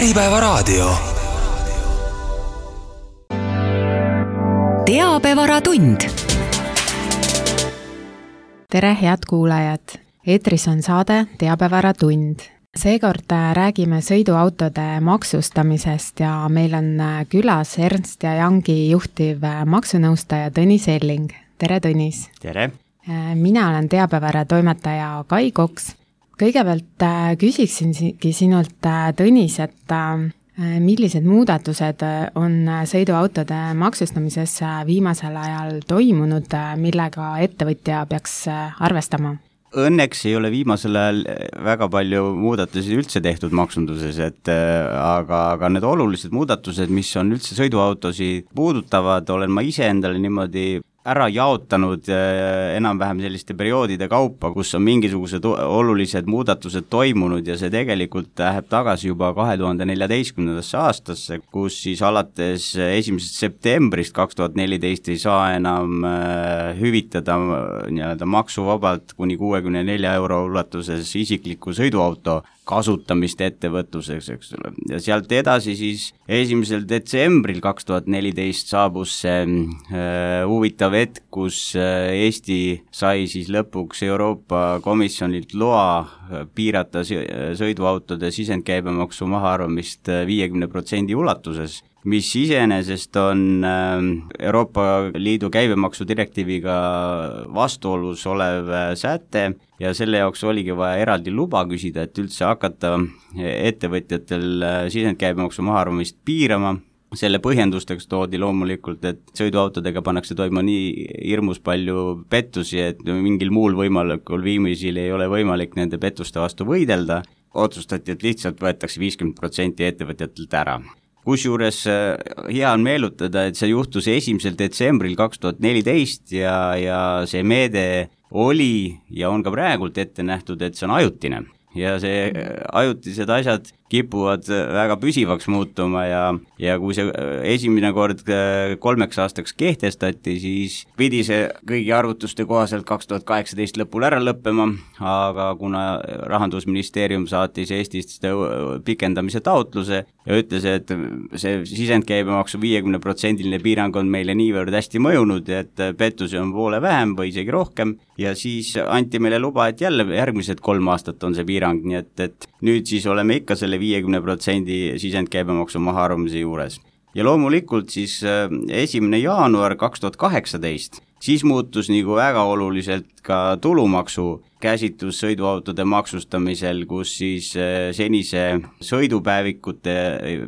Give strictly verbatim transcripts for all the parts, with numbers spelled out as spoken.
Äripäevaraadio. Teabevaratund. Tere, head kuulajad! Eetris on saade Teabevaratund. Seekord räägime sõiduautode maksustamisest ja meil on külas Ernst ja Youngi juhtiv maksunõustaja Tõnis Elling. Tere, Tõnis! Tere! Mina olen Teabevara toimetaja Kai Koks. Kõigepealt küsiksingi sinult, Tõnis, et millised muudatused on sõiduautode maksustamises viimasel ajal toimunud, millega ettevõtja peaks arvestama? Õnneks ei ole viimasel ajal väga palju muudatusi üldse tehtud maksunduses, et aga, aga need olulised muudatused, mis on üldse sõiduautosi puudutavad, olen ma ise endale niimoodi ära jaotanud enam-vähem selliste perioodide kaupa, kus on mingisugused olulised muudatused toimunud ja see tegelikult läheb tagasi juba kahe tuhande neljateistkümnendasse aastasse, kus siis alates esimesest septembrist kaks tuhat neliteist ei saa enam hüvitada nii-öelda maksuvabalt kuni kuuekümne nelja euro ulatuses isikliku sõiduauto kasutamist ettevõtluseks, eks ole. Ja sealt edasi siis esimesel detsembril kaks tuhat neliteist saabus see äh, huvitav hetk, kus äh, Eesti sai siis lõpuks Euroopa Komisjonilt loa piirata sõiduautode sisendkäibemaksu mahaarvamist viiekümne protsendi ulatuses, mis iseenesest on Euroopa Liidu käibemaksu direktiiviga vastuolus olev säte ja selle jaoks oligi vaja eraldi luba küsida, et üldse hakata ettevõtjatel sisendkäibemaksu mahaarvamist piirama. Selle põhjendusteks toodi loomulikult, et sõiduautodega pannakse toima nii hirmus palju pettusi, et mingil muul võimalikul viimisil ei ole võimalik nende pettuste vastu võidelda. Otsustati, et lihtsalt võetakse viiskümmend protsenti ettevõtjatelt ära. Kusjuures hea on meelutada, et see juhtus esimesel detsembril kaks tuhat neliteist ja, ja see meede oli ja on ka praegult ette nähtud, et see on ajutine. Ja see ajutised asjad kipuvad väga püsivaks muutuma ja, ja kui see esimene kord kolmeks aastaks kehtestati, siis pidi see kõigi arvutuste kohaselt kaks tuhat kaheksateist lõpul ära lõppema, aga kuna Rahandusministeerium saatis Eestist pikendamise taotluse ja ütles, et see sisendkäibemaksu viiekümne protsendiline piirang on meile niivõrd hästi mõjunud, et pettusi on poole vähem või isegi rohkem ja siis anti meile luba, et jälle järgmised kolm aastat on see piirang, nii et, et nüüd siis oleme ikka selle viiekümne protsendi sisendkäibemaksu mahaarvamise juures. Ja loomulikult siis esimene jaanuar kaks tuhat kaheksateist, siis muutus nagu väga oluliselt ka tulumaksu käsitlus sõiduautode maksustamisel, kus siis senise sõidupäevikute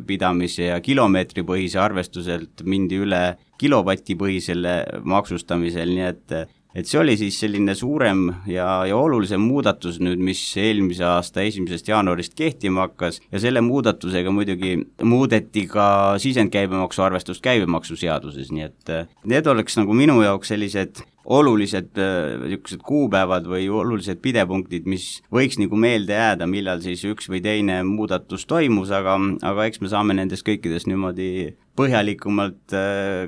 pidamise ja kilomeetripõhise arvestuselt mindi üle kilovatipõhisele maksustamisel, nii et et see oli siis selline suurem ja, ja olulisem muudatus nüüd, mis eelmise aasta esimesest jaanuarist kehtima hakkas ja selle muudatusega muidugi muudeti ka sisendkäibemaksu arvestust käibemaksuseaduses, nii et need oleks nagu minu jaoks sellised olulised niisugused kuupäevad või olulised pidepunktid, mis võiks nagu meelde jääda, millal siis üks või teine muudatus toimus, aga, aga eks me saame nendest kõikidest niimoodi põhjalikumalt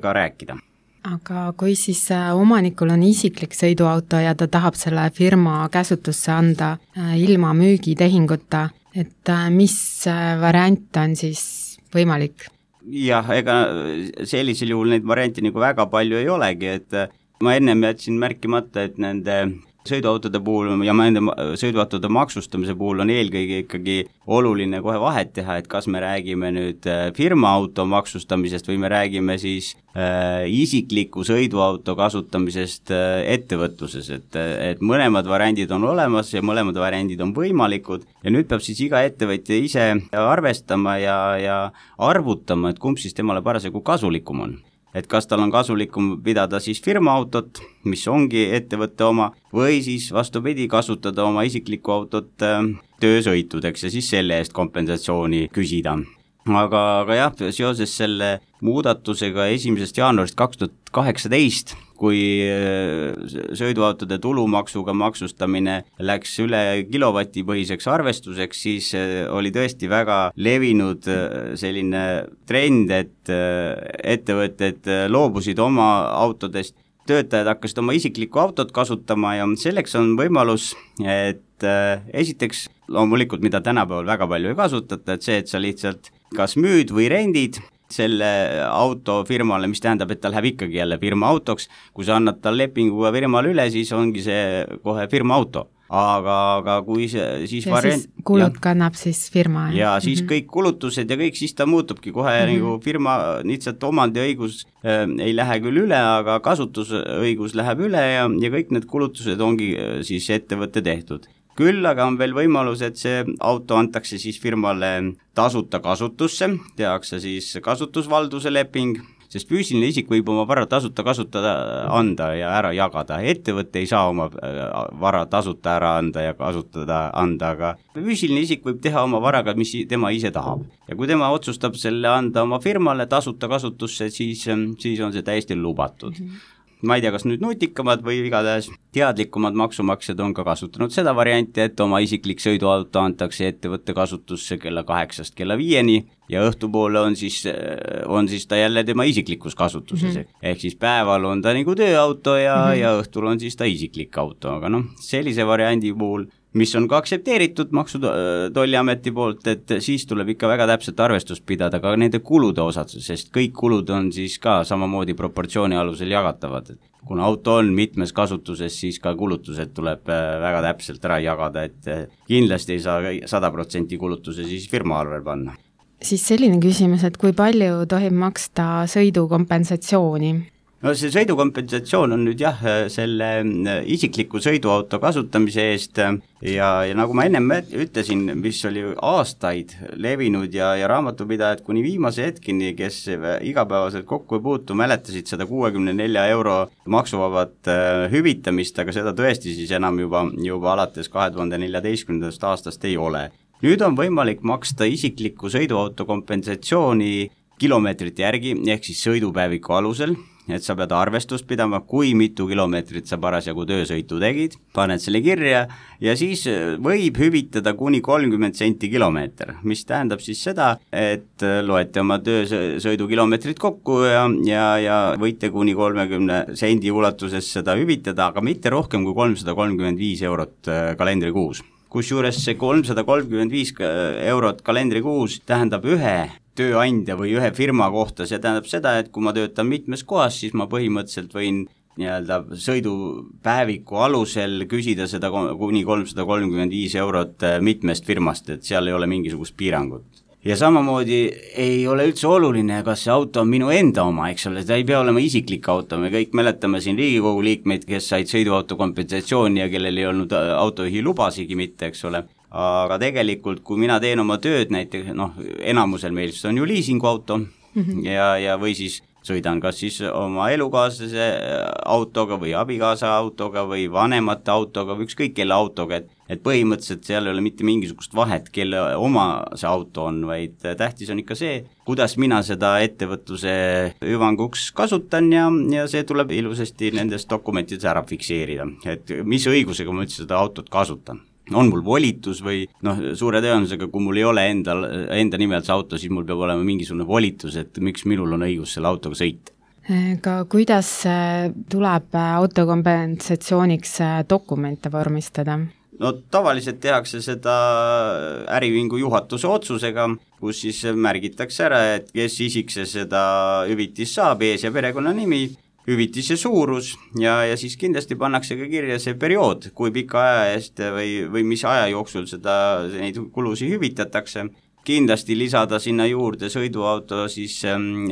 ka rääkida. Aga kui siis omanikul on isiklik sõiduauto ja ta tahab selle firma käsutusse anda ilma müügitehinguta, et mis variant on siis võimalik? Jah, ega sellisel juhul neid variante nagu väga palju ei olegi, et ma ennem jätsin märkimata, et nende sõiduautode puhul ja nende sõiduautode maksustamise puhul on eelkõige ikkagi oluline kohe vahet teha, et kas me räägime nüüd firma auto maksustamisest või me räägime siis äh, isikliku sõiduauto kasutamisest äh, ettevõtluses, et, et mõlemad variandid on olemas ja mõlemad variandid on võimalikud ja nüüd peab siis iga ettevõtja ise arvestama ja, ja arvutama, et kumb siis temale parasjagu kasulikum on. Et kas tal on kasulikum pidada siis firmaautot, mis ongi ettevõtte oma, või siis vastupidi kasutada oma isiklikku autot töösõitudeks ja siis selle eest kompensatsiooni küsida. Aga, aga jah, seoses selle muudatusega esimesest jaanuarist kaks tuhat kaheksateist, kui sõiduautode tulumaksuga maksustamine läks üle kilovatipõhiseks arvestuseks, siis oli tõesti väga levinud selline trend, et ettevõtted loobusid oma autodest, töötajad hakkasid oma isiklikku autot kasutama ja selleks on võimalus, et esiteks loomulikult, mida tänapäeval väga palju ei kasutata, et see, et sa lihtsalt kas müüd või rendid selle auto firmale, mis tähendab, et ta läheb ikkagi jälle firma autoks, kui sa annad tal lepinguga firmale üle, siis ongi see kohe firma auto. Aga, aga kui see siis ja variant, siis kulud ja, kannab siis firma. Ja siis mm-hmm. kõik kulutused ja kõik, siis ta muutubki kohe mm-hmm. nagu firma, lihtsalt omandiõigus äh, ei lähe küll üle, aga kasutusõigus läheb üle ja, ja kõik need kulutused ongi äh, siis ettevõtte tehtud. Küll aga on veel võimalus, et see auto antakse siis firmale tasuta kasutusse, tehakse siis kasutusvalduse leping, sest füüsiline isik võib oma vara tasuta kasutada, anda ja ära jagada. Ettevõte ei saa oma vara tasuta ära anda ja kasutada anda, aga füüsiline isik võib teha oma varaga, mis tema ise tahab. Ja kui tema otsustab selle anda oma firmale tasuta kasutusse, siis, siis on see täiesti lubatud. Mm-hmm. Ma ei tea, kas nüüd nutikamad või igatahes teadlikumad maksumaksjad on ka kasutanud seda varianti, et oma isiklik sõiduauto antakse ettevõtte kasutusse kella kaheksast kella viieni ja õhtupoole on siis, on siis ta jälle tema isiklikus kasutuses. Mm-hmm. Ehk siis päeval on ta nagu tööauto ja, mm-hmm. ja õhtul on siis ta isiklik auto, aga noh, sellise variandi puhul, mis on ka aktsepteeritud Maksu- Tolliameti poolt, et siis tuleb ikka väga täpselt arvestust pidada ka nende kulude osad, sest kõik kulud on siis ka samamoodi proportsiooni alusel jagatavad. Kuna auto on mitmes kasutuses, siis ka kulutused tuleb väga täpselt ära jagada, et kindlasti ei saa sada protsenti kulutuse siis firma arvel panna. Siis selline küsimus, et kui palju tohib maksta sõidukompensatsiooni? No see sõidukompensatsioon on nüüd jah, selle isikliku sõiduauto kasutamise eest ja, ja nagu ma ennem ütlesin, mis oli aastaid levinud ja, ja raamatupidajad kuni viimase hetkini, kes igapäevaselt kokku ei puutu, mäletasid sada kuuekümne nelja euro maksuvabat hüvitamist, aga seda tõesti siis enam juba, juba alates kahe tuhande neljateistkümnendast aastast ei ole. Nüüd on võimalik maksta isikliku sõiduauto kompensatsiooni kilomeetrite järgi, ehk siis sõidupäeviku alusel, et sa pead arvestust pidama, kui mitu kilomeetrit sa parasjagu töösõitu tegid, paned selle kirja ja siis võib hüvitada kuni kolmkümmend senti kilomeeter, mis tähendab siis seda, et loete oma töösõidu kilomeetrit kokku ja, ja, ja võite kuni kolmekümne sendi ulatuses seda hüvitada, aga mitte rohkem kui kolmsada kolmkümmend viis eurot kalendrikuus. Kusjuures see kolmsada kolmkümmend viis eurot kalendrikuus tähendab ühe tööandja või ühe firma kohta, see tähendab seda, et kui ma töötan mitmes kohas, siis ma põhimõtteliselt võin nii-öelda sõidupäeviku alusel küsida seda kuni kolmsada kolmkümmend viis eurot mitmest firmast, et seal ei ole mingisugust piirangut. Ja samamoodi ei ole üldse oluline, kas see auto on minu enda oma, eks ole, ta ei pea olema isiklik auto, me kõik mäletame siin Riigikogu liikmeid, kes said sõiduauto kompensatsiooni ja kellel ei olnud autojuhi lubasigi mitte, eks ole. Aga tegelikult, kui mina teen oma tööd näiteks, noh, enamusel meil on ju liisinguauto mm-hmm. ja, ja või siis sõidan kas siis oma elukaaslase autoga või abikaasa autoga või vanemate autoga või ükskõik kelle autoga, et, et põhimõtteliselt seal ei ole mitte mingisugust vahet, kelle oma see auto on, vaid tähtis on ikka see, kuidas mina seda ettevõtluse hüvanguks kasutan ja, ja see tuleb ilusasti nendes dokumentides ära fikseerida, et mis õigusega ma üldse seda autot kasutan. On mul volitus või noh, suure tõenäosusega, kui mul ei ole enda, enda nimel see auto, siis mul peab olema mingisugune volitus, et miks minul on õigus selle autoga sõita. Ka kuidas tuleb autokompensatsiooniks dokumente vormistada? No tavaliselt tehakse seda äriühingu juhatuse otsusega, kus siis märgitakse ära, et kes isik see seda hüvitis saab, ees- ja perekonnanimi, hüvitise suurus ja, ja siis kindlasti pannakse ka kirja see periood, kui pika aja eest või, või mis aja jooksul seda, neid kulusi hüvitatakse. Kindlasti lisada sinna juurde sõiduauto siis ähm,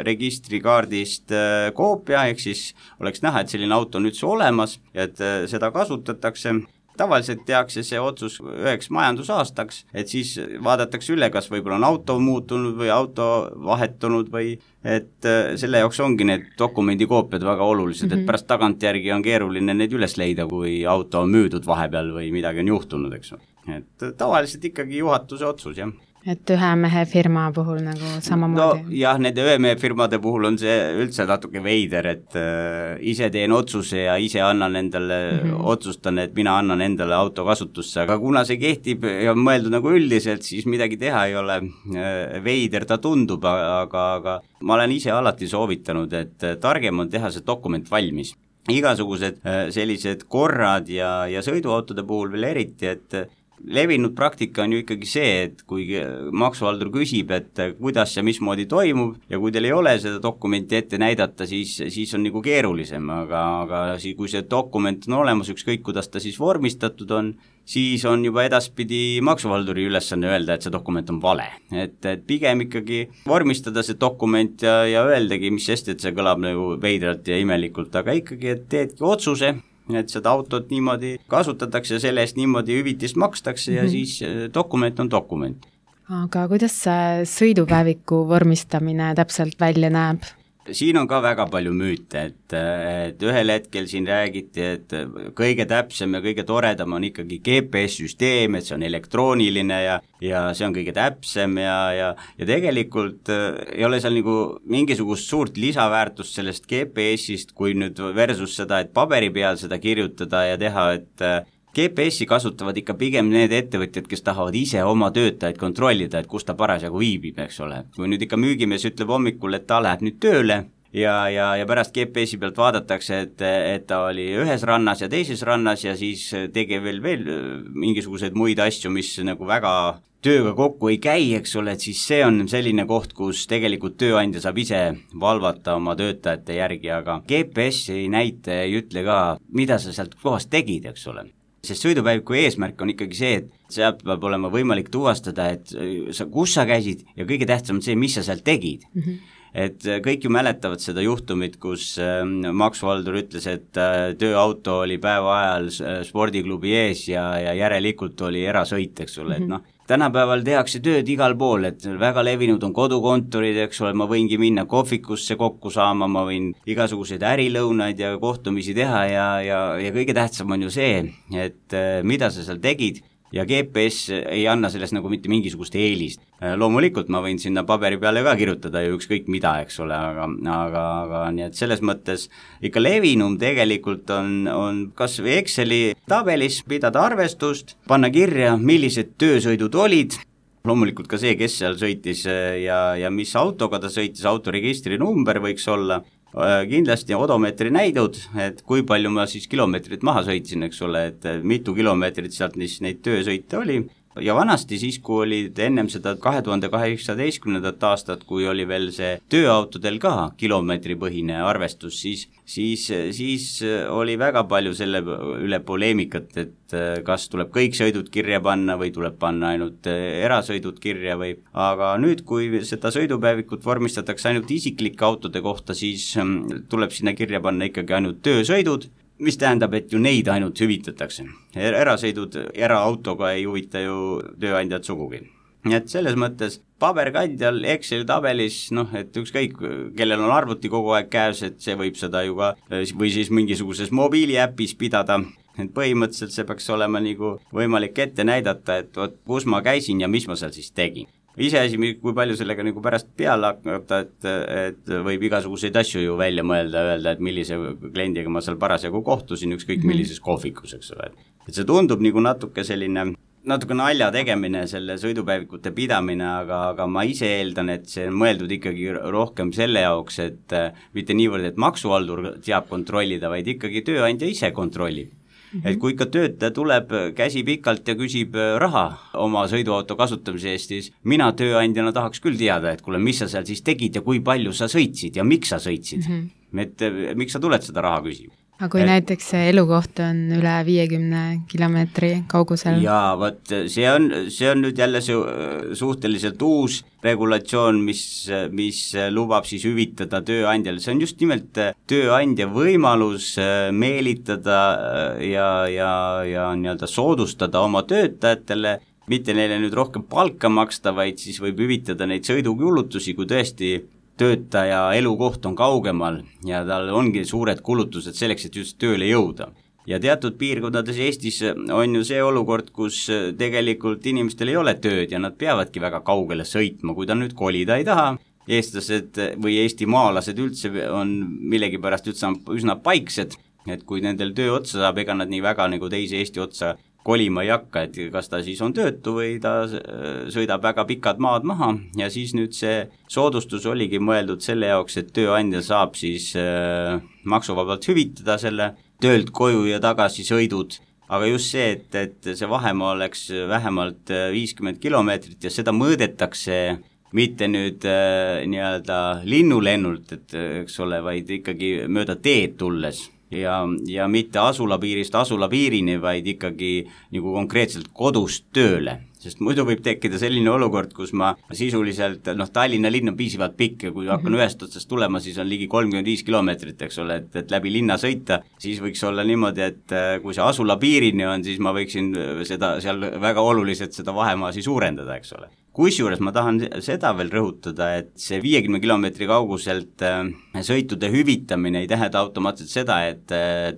registrikaardist äh, koopia, ehk siis oleks näha, et selline auto on üldse olemas ja et äh, seda kasutatakse. Tavaliselt tehakse see otsus üheks majandusaastaks, et siis vaadatakse üle, kas võib-olla on auto muutunud või auto vahetunud või et selle jaoks ongi need dokumendikoopiad väga olulised, mm-hmm. et pärast tagantjärgi on keeruline neid üles leida, kui auto on müüdud vahepeal või midagi on juhtunud, eks. Et tavaliselt ikkagi juhatuse otsus, jah. Et ühe mehe firma puhul nagu samamoodi? No jah, nende ühe mehe firmade puhul on see üldse natuke veider, et äh, ise teen otsuse ja ise annan endale mm-hmm. otsustan, et mina annan endale auto kasutusse, aga kuna see kehtib ja on mõeldud nagu üldiselt, siis midagi teha ei ole. Äh, veider ta tundub, aga, aga ma olen ise alati soovitanud, et targem on teha see dokument valmis. Igasugused äh, sellised korrad ja, ja sõiduautode puhul veel eriti, et levinud praktika on ju ikkagi see, et kui maksuhaldur küsib, et kuidas ja mismoodi toimub ja kui teil ei ole seda dokumenti ette näidata, siis, siis on nagu keerulisem, aga, aga kui see dokument on olemas, ükskõik kuidas ta siis vormistatud on, siis on juba edaspidi maksuhalduri ülesanne öelda, et see dokument on vale. Et, et pigem ikkagi vormistada see dokument ja, ja öeldagi, mis sest, et see kõlab nagu veidralt ja imelikult, aga ikkagi, et teedki otsuse, et seda autot niimoodi kasutatakse ja selle eest niimoodi hüvitist makstakse ja mm-hmm. siis dokument on dokument. Aga kuidas see sõidupäeviku vormistamine täpselt välja näeb? Siin on ka väga palju müüte, et, et ühel hetkel siin räägiti, et kõige täpsem ja kõige toredam on ikkagi G P S-süsteem, et see on elektrooniline ja, ja see on kõige täpsem ja, ja, ja tegelikult ei ole seal nagu mingisugust suurt lisaväärtust sellest G P S-ist, kui nüüd versus seda, et paberi peal seda kirjutada ja teha, et G P S-i kasutavad ikka pigem need ettevõtjad, kes tahavad ise oma töötajaid kontrollida, et kus ta parasjagu viibib, eks ole. Kui nüüd ikka müügimees ütleb hommikul, et ta läheb nüüd tööle ja, ja, ja pärast G P S-i pealt vaadatakse, et, et ta oli ühes rannas ja teises rannas ja siis tegi veel, veel mingisuguseid muid asju, mis nagu väga tööga kokku ei käi, eks ole, et siis see on selline koht, kus tegelikult tööandja saab ise valvata oma töötajate järgi, aga G P S ei näita ja ei ütle ka, mida sa sealt kohast tegid, eks ole. Sest sõidupäeviku eesmärk on ikkagi see, et sealt peab olema võimalik tuvastada, et sa, kus sa käisid ja kõige tähtsam on see, mis sa sealt tegid. Mm-hmm. Et kõik ju mäletavad seda juhtumit, kus äh, maksuhaldur ütles, et äh, tööauto oli päeva ajal spordiklubi ees ja, ja järelikult oli erasõit, eks ole, mm-hmm. et noh, tänapäeval tehakse tööd igal pool, et väga levinud on kodukontorid, eks ole, ma võingi minna kohvikusse kokku saama, ma võin igasuguseid ärilõunaid ja kohtumisi teha ja, ja, ja kõige tähtsam on ju see, et äh, mida sa seal tegid ja G P S ei anna sellest nagu mitte mingisugust eelist. Loomulikult ma võin sinna paberi peale ka kirjutada ju ükskõik mida, eks ole, aga, aga, aga nii et selles mõttes ikka levinum tegelikult on, on kas või Exceli tabelis pidada arvestust, panna kirja, millised töösõidud olid, loomulikult ka see, kes seal sõitis ja, ja mis autoga ta sõitis, autoregistri number võiks olla, kindlasti odomeetri näidud, et kui palju ma siis kilomeetrit maha sõitsin, eks ole, et mitu kilomeetrit sealt neid töösõite oli ja vanasti siis, kui olid ennem seda kahe tuhande kaheksateistkümnendat aastat, kui oli veel see tööautodel ka kilomeetripõhine arvestus, siis, siis, siis oli väga palju selle üle poleemikat, et kas tuleb kõik sõidud kirja panna või tuleb panna ainult erasõidud kirja või, aga nüüd, kui seda sõidupäevikut vormistatakse ainult isiklike autode kohta, siis tuleb sinna kirja panna ikkagi ainult töösõidud, mis tähendab, et ju neid ainult hüvitatakse. Erasõidud eraautoga ei huvita ju tööandjad sugugi. Nii et selles mõttes paberkandjal Exceli tabelis, noh, et ükskõik, kellel on arvuti kogu aeg käes, et see võib seda ju ka, või siis mingisuguses mobiiliäpis pidada, et põhimõtteliselt see peaks olema nagu võimalik ette näidata, et oot, kus ma käisin ja mis ma seal siis tegin. Iseasi, kui palju sellega nagu pärast peale hakata, et, et võib igasuguseid asju ju välja mõelda, öelda, et millise kliendiga ma seal parasjagu kohtusin, ükskõik millises kohvikus, eks ole. Et see tundub nagu natuke selline, natuke nalja tegemine, selle sõidupäevikute pidamine, aga, aga ma ise eeldan, et see on mõeldud ikkagi rohkem selle jaoks, et mitte niivõrd, et maksuhaldur teab kontrollida, vaid ikkagi tööandja ise kontrollib. Et kui ikka töötaja tuleb käsi pikalt ja küsib raha oma sõiduauto kasutamise eest, siis mina tööandjana tahaks küll teada, et kuule, mis sa seal siis tegid ja kui palju sa sõitsid ja miks sa sõitsid. Mm-hmm. Et miks sa tuled seda raha küsima? Aga kui et, näiteks see elukoht on üle viiekümne kilomeetri kaugusel? Jaa, võt, see on, see on nüüd jälle su, suhteliselt uus regulatsioon, mis, mis lubab siis hüvitada tööandjale. See on just nimelt tööandja võimalus meelitada ja, ja, ja nii-öelda soodustada oma töötajatele, mitte neile nüüd rohkem palka maksta, vaid siis võib hüvitada neid sõidukulutusi, kui tõesti töötaja elukoht on kaugemal ja tal ongi suured kulutused selleks, et just tööle jõuda. Ja teatud piirkondades Eestis on ju see olukord, kus tegelikult inimestel ei ole tööd ja nad peavadki väga kaugele sõitma, kui ta nüüd kolida ei taha. Eestlased või eestimaalased üldse on millegipärast üldse üsna paiksed, et kui nendel töö otsa saab, ega nad nii väga nagu teise Eesti otsa kolima ei hakka, et kas ta siis on töötu või ta sõidab väga pikad maad maha ja siis nüüd see soodustus oligi mõeldud selle jaoks, et tööandja saab siis maksuvabalt hüvitada selle töölt koju ja tagasi sõidud aga just see, et, et see vahemaa oleks vähemalt viiskümmend kilomeetrit ja seda mõõdetakse mitte nüüd äh, nii-öelda linnulennult, et eks ole, vaid ikkagi mööda teed tulles ja, ja mitte asulapiirist asulapiirini, vaid ikkagi nagu konkreetselt kodust tööle. Sest muidu võib tekkida selline olukord, kus ma sisuliselt, noh, Tallinna linn on piisavalt pikk ja kui hakkan mm-hmm. ühest otsast tulema, siis on ligi kolmkümmend viis kilomeetrit, eks ole, et, et läbi linna sõita, siis võiks olla niimoodi, et kui see asula piirini on, siis ma võiksin seda seal väga oluliselt seda vahemaasi suurendada, eks ole. Kusjuures ma tahan seda veel rõhutada, et see viiekümne kilomeetri kauguselt sõitude hüvitamine ei tähenda automaatselt seda, et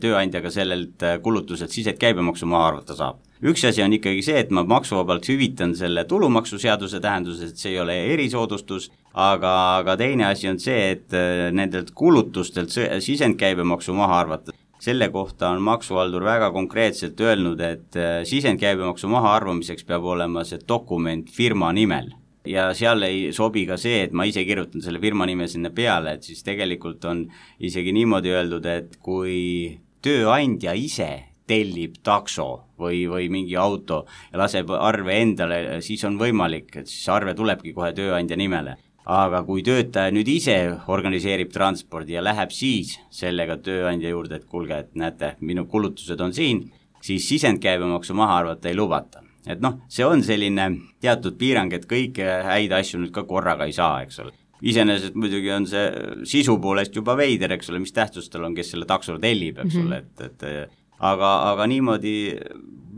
tööandjaga sellelt kulutuselt sised käibemaksu maha arvata saab. Üks asi on ikkagi see, et ma maksuvabalt hüvitan selle tulumaksuseaduse tähenduses, et see ei ole erisoodustus, aga, aga teine asi on see, et nendelt kulutustelt sisendkäibemaksu maha arvata. Selle kohta on maksuhaldur väga konkreetselt öelnud, et sisendkäibemaksu maha arvamiseks peab olema see dokument firma nimel. Ja seal ei sobi ka see, et ma ise kirjutan selle firma nime sinna peale, et siis tegelikult on isegi niimoodi öeldud, et kui tööandja ise tellib takso või, või mingi auto ja laseb arve endale, siis on võimalik, et siis arve tulebki kohe tööandja nimele. Aga kui töötaja nüüd ise organiseerib transpordi ja läheb siis sellega tööandja juurde, et kuulge, et näete, minu kulutused on siin, siis sisendkäibemaksu maha arvata ei lubata. Et noh, see on selline teatud piirang, et kõiki häid asju nüüd ka korraga ei saa, eks ole. Iseenesest muidugi on see sisu poolest juba veider, eks ole, mis tähtsustel on, kes selle takso tellib, eks ole, et, et aga, aga niimoodi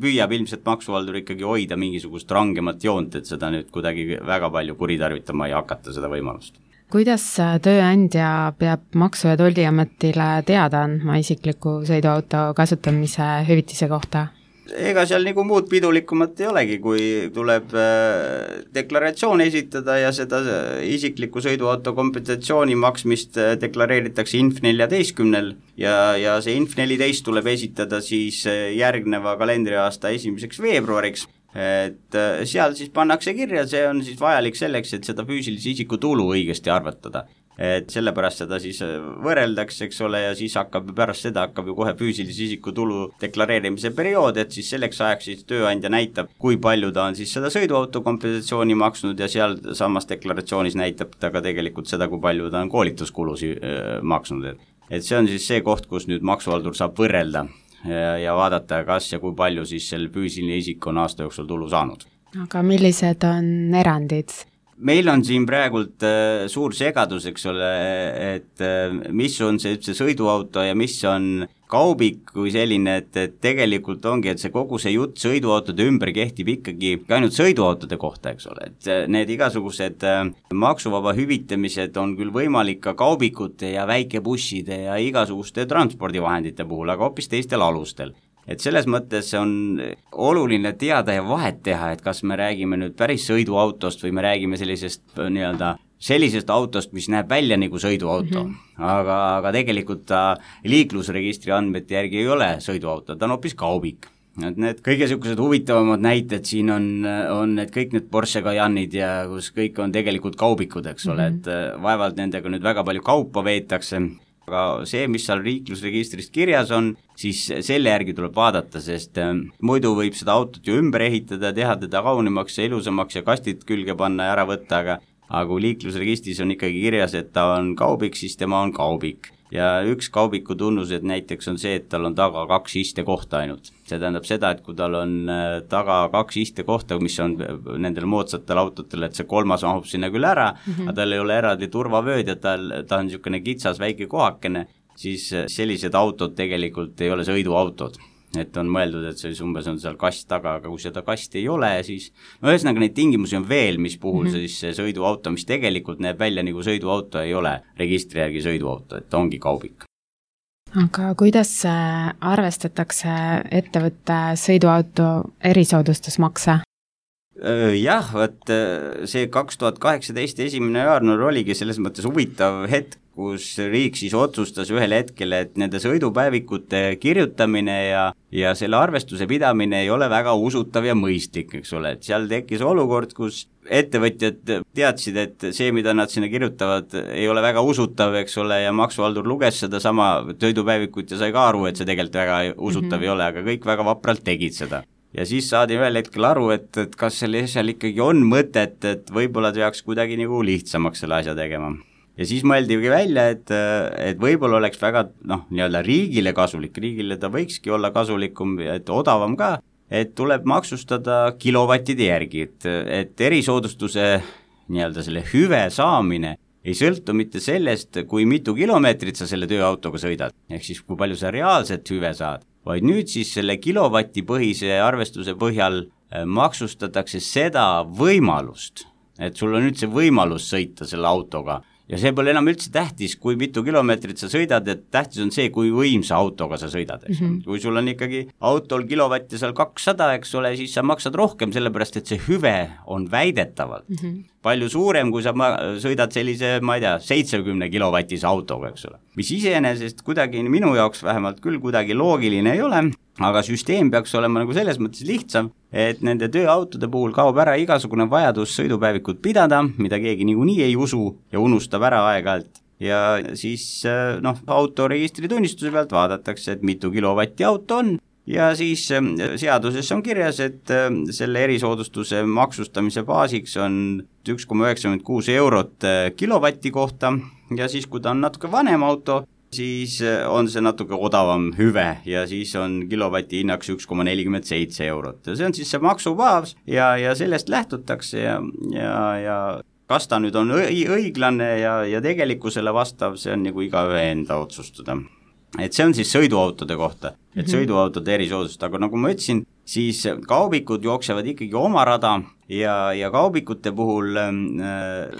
püüab ilmselt maksuhaldur ikkagi hoida mingisugust rangemat joont, et seda nüüd kuidagi väga palju kuritarvitama ei hakata seda võimalust. Kuidas tööandja peab Maksu- ja Tolliametile teada andma isikliku sõiduauto kasutamise hüvitise kohta? Ega seal nagu muud pidulikumat ei olegi, kui tuleb deklaratsioon esitada ja seda isikliku sõiduauto kompensatsiooni maksmist deklareeritakse Inf neljateistkümnel ja, ja see Inf neliteist tuleb esitada siis järgneva kalendriaasta esimeseks veebruariks. Et seal siis pannakse kirja, see on siis vajalik selleks, et seda füüsilise isiku tulu õigesti arvatada. Et sellepärast seda siis võrreldakse, eks ole, ja siis hakkab pärast seda hakkab ju kohe füüsilise isiku tulu deklareerimise periood, et siis selleks ajaks siis tööandja näitab, kui palju ta on siis seda sõiduauto kompensatsiooni maksnud ja seal samas deklaratsioonis näitab ta ka tegelikult seda, kui palju ta on koolituskulusi äh, maksnud. Et, et see on siis see koht, kus nüüd maksuhaldur saab võrrelda ja, ja vaadata, kas ja kui palju siis selle füüsiline isik on aasta jooksul tulu saanud. Aga millised on erandid? Meil on siin praegult äh, suur segadus, eks ole, et äh, mis on see, see sõiduauto ja mis on kaubik kui selline, et, et tegelikult ongi, et see kogu see jutt sõiduautode ümber kehtib ikkagi ainult sõiduautode kohta, eks ole, et need igasugused äh, maksuvaba hüvitamised on küll võimalik ka kaubikute ja väikebusside ja igasuguste transpordivahendite puhul, aga hoopis teistel alustel. Et selles mõttes on oluline teada ja vahet teha, et kas me räägime nüüd päris sõiduautost või me räägime sellisest nii-öelda sellisest autost, mis näeb välja nagu sõiduauto, mm-hmm. aga, aga tegelikult ta liiklusregistri andmete järgi ei ole sõiduauto, ta on hoopis kaubik. Et need kõige sellised huvitavamad näited siin on, on need kõik need Porsche Cayenne'id ja kus kõik on tegelikult kaubikud, eks ole, mm-hmm. et vaevalt nendega nüüd väga palju kaupa veetakse. Aga see, mis seal liiklusregistrist kirjas on, siis selle järgi tuleb vaadata, sest muidu võib seda autot ju ümber ehitada, teha teda kaunimaks ja ilusamaks ja kastid külge panna ja ära võtta, aga, aga kui liiklusregistris on ikkagi kirjas, et ta on kaubik, siis tema on kaubik. Ja üks kaubiku tunnused näiteks on see, et tal on taga kaks istekohta ainult. See tähendab seda, et kui tal on taga kaks istekohta, mis on nendel moodsatel autotel, et see kolmas mahub sinna küll ära, mm-hmm. aga tal ei ole eraldi turvavööd ja tal, ta on niisugune kitsas väike kohakene, siis sellised autod tegelikult ei ole sõiduautod. Et on mõeldud, et see umbes on seal kast taga, aga kui seda kasti ei ole, siis no ühesõnaga neid tingimusi on veel, mis puhul mm-hmm. siis see sõiduauto, mis tegelikult näeb välja nagu sõiduauto, ei ole registri järgi sõiduauto, et ta ongi kaubik. Aga kuidas arvestatakse ettevõtte sõiduauto erisoodustusmakse? Jah, võt see kaks tuhat kaheksateist esimene jaanuar oligi selles mõttes huvitav hetk, kus riik siis otsustas ühel hetkel, et nende sõidupäevikute kirjutamine ja, ja selle arvestuse pidamine ei ole väga usutav ja mõistlik, eks ole, et seal tekkis olukord, kus ettevõtjad teadsid, et see, mida nad sinna kirjutavad, ei ole väga usutav, eks ole, ja maksuhaldur luges seda sama sõidupäevikut ja sai ka aru, et see tegelikult väga usutav mm-hmm. ei ole, aga kõik väga vapralt tegid seda. Ja siis saadi ühel hetkel aru, et, et kas selle asjal ikkagi on mõtet, et võib-olla peaks kuidagi nagu lihtsamaks selle asja tegema. Ja siis mõeldigi välja, et, et võib-olla oleks väga noh, nii-öelda riigile kasulik, riigile ta võikski olla kasulikum, et odavam ka, et tuleb maksustada kilovattide järgi, et, et erisoodustuse nii-öelda selle hüve saamine ei sõltu mitte sellest, kui mitu kilomeetrit sa selle tööautoga sõidad, ehk siis kui palju sa reaalselt hüve saad, vaid nüüd siis selle kilovati põhise arvestuse põhjal maksustatakse seda võimalust, et sul on üldse võimalus sõita selle autoga ja see pole enam üldse tähtis, kui mitu kilomeetrit sa sõidad, et tähtis on see, kui võimsa autoga sa sõidad, eks mm-hmm. kui sul on ikkagi autol kilovatti seal kakssada, eks ole, siis sa maksad rohkem, sellepärast et see hüve on väidetavalt mm-hmm. palju suurem, kui sa ma- sõidad sellise, ma ei tea, seitsekümne kilovatise autoga, eks ole. Mis iseenesest kuidagi minu jaoks vähemalt küll kuidagi loogiline ei ole, aga süsteem peaks olema nagu selles mõttes lihtsam, et nende tööautode puhul kaob ära igasugune vajadus sõidupäevikut pidada, mida keegi niikuinii ei usu ja unustab ära aeg-ajalt. Ja siis noh, autoregistritunnistuse pealt vaadatakse, et mitu kilovatti auto on ja siis seaduses on kirjas, et selle erisoodustuse maksustamise baasiks on üks koma üheksakümmend kuus eurot kilovatti kohta ja siis, kui ta on natuke vanem auto, siis on see natuke odavam hüve ja siis on kilovati hinnaks üks koma nelikümmend seitse eurot ja see on siis see maksubaas ja, ja sellest lähtutakse ja, ja, ja kas ta nüüd on õiglane ja, ja tegelikkusele vastav, see on nagu igaühe enda otsustada. Et see on siis sõiduautode kohta, et sõiduautode erisoodust, aga nagu ma ütlesin, siis kaubikud jooksevad ikkagi oma rada ja, ja kaubikute puhul äh,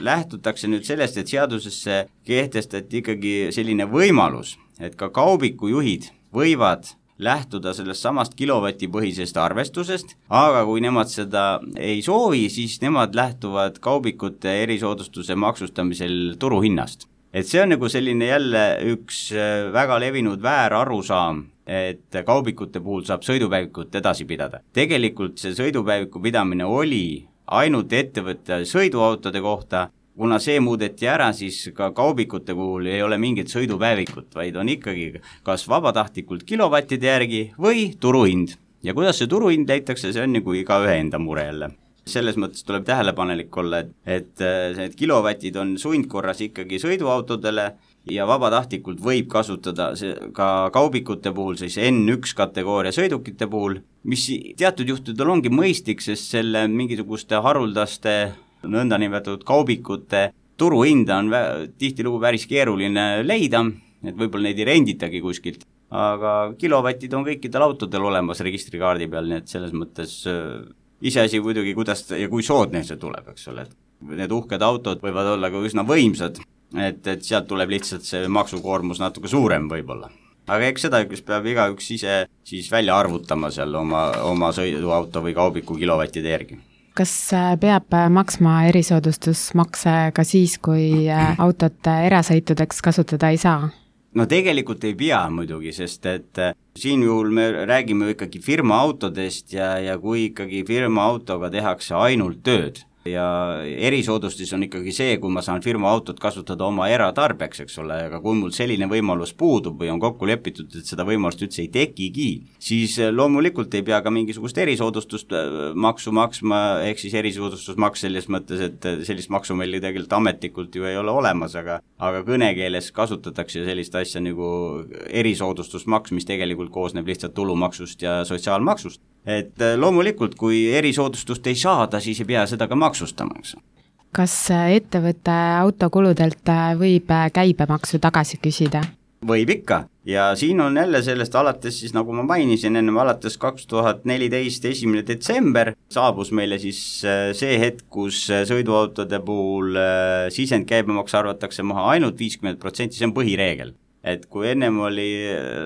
lähtutakse nüüd sellest, et seadusesse kehtestati ikkagi selline võimalus, et ka kaubikujuhid võivad lähtuda sellest samast kilovatipõhisest arvestusest, aga kui nemad seda ei soovi, siis nemad lähtuvad kaubikute erisoodustuse maksustamisel turuhinnast. Et see on nagu selline jälle üks väga levinud väär arusaam, et kaubikute puhul saab sõidupäevikut edasi pidada. Tegelikult see sõidupäeviku pidamine oli ainult ettevõtte sõiduautode kohta, kuna see muudeti ära, siis ka kaubikute puhul ei ole mingit sõidupäevikut, vaid on ikkagi kas vabatahtlikult kilovattide järgi või turuhind. Ja kuidas see turuhind leitakse, see on nagu igaühe enda mure jälle. Selles mõttes tuleb tähelepanelik olla, et, et need kilovatid on sundkorras ikkagi sõiduautodele ja vabatahtlikult võib kasutada see ka kaubikute puhul, siis N üks kategooria sõidukite puhul, mis teatud juhtudel ongi mõistlik, sest selle mingisuguste haruldaste nõndanimetatud kaubikute turuhinda on vä- tihtilugu päris keeruline leida, et võib-olla neid ei renditagi kuskilt, aga kilovatid on kõikidel autodel olemas registrikaardi peal, nii et selles mõttes iseasi muidugi, kuidas ja kui soodne see tuleb, eks ole, et need uhked autod võivad olla ka üsna võimsad, et, et sealt tuleb lihtsalt see maksukoormus natuke suurem võib-olla. Aga eks seda, kus peab igaüks ise siis välja arvutama seal oma, oma sõiduauto või kaubiku kilovattide järgi. Kas peab maksma erisoodustusmakse ka siis, kui autot erasõitudeks kasutada ei saa? No tegelikult ei pea muidugi, sest et siin juhul me räägime ikkagi firma autodest ja, ja kui ikkagi firma autoga tehakse ainult tööd ja erisoodustus on ikkagi see, kui ma saan firma autot kasutada oma eratarbeks, eks ole, aga kui mul selline võimalus puudub või on kokku lepitud, et seda võimalust üldse ei tekigi, siis loomulikult ei pea ka mingisugust erisoodustust maksu maksma, ehk siis erisoodustusmaks selles mõttes, et sellist maksu meil tegelikult ametlikult ju ei ole olemas, aga, aga kõnekeeles kasutatakse sellist asja nagu erisoodustusmaks, mis tegelikult koosneb lihtsalt tulumaksust ja sotsiaalmaksust. Et loomulikult, kui erisoodustust ei saada, siis ei pea seda ka maksustama, eks. Kas ettevõtte autokuludelt võib käibemaksu tagasi küsida? Võib ikka ja siin on jälle sellest alates siis, nagu ma mainisin, ennem alates kaks tuhat neliteist esimene detsember saabus meile siis see hetk, kus sõiduautode puhul sisendkäibemaks arvatakse maha ainult viiskümmend protsenti, see on põhireegel. et kui ennem oli